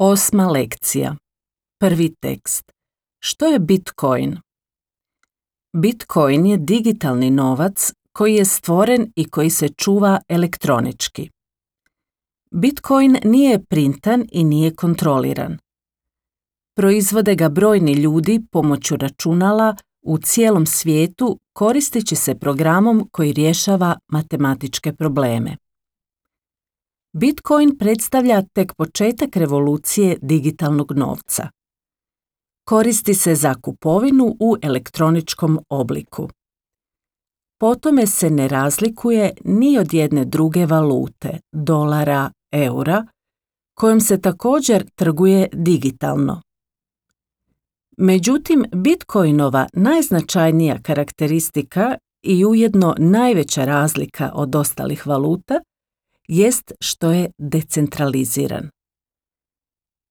8. lekcija. Prvi tekst. Što je Bitcoin? Bitcoin je digitalni novac koji je stvoren i koji se čuva elektronički. Bitcoin nije printan i nije kontroliran. Proizvode ga brojni ljudi pomoću računala u cijelom svijetu koristeći se programom koji rješava matematičke probleme. Bitcoin predstavlja tek početak revolucije digitalnog novca. Koristi se za kupovinu u elektroničkom obliku. Po tome se ne razlikuje ni od jedne druge valute, dolara, eura, kojom se također trguje digitalno. Međutim, Bitcoinova najznačajnija karakteristika i ujedno najveća razlika od ostalih valuta jest što je decentraliziran.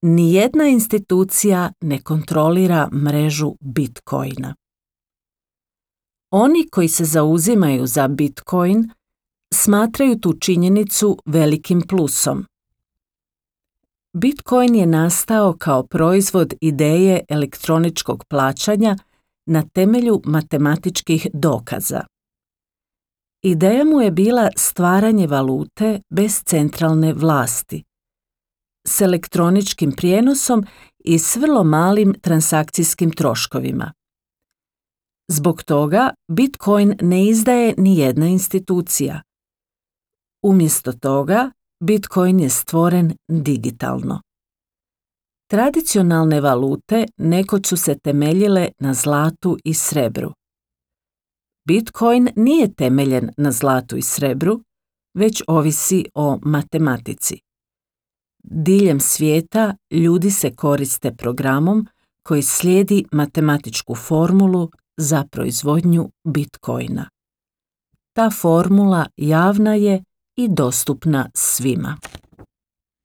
Nijedna institucija ne kontrolira mrežu Bitcoina. Oni koji se zauzimaju za Bitcoin smatraju tu činjenicu velikim plusom. Bitcoin je nastao kao proizvod ideje elektroničkog plaćanja na temelju matematičkih dokaza. Ideja mu je bila stvaranje valute bez centralne vlasti, s elektroničkim prijenosom i s vrlo malim transakcijskim troškovima. Zbog toga Bitcoin ne izdaje ni jedna institucija. Umjesto toga, Bitcoin je stvoren digitalno. Tradicionalne valute nekoć su se temeljile na zlatu i srebru. Bitcoin nije temeljen na zlatu i srebru, već ovisi o matematici. Diljem svijeta ljudi se koriste programom koji slijedi matematičku formulu za proizvodnju Bitcoina. Ta formula javna je i dostupna svima.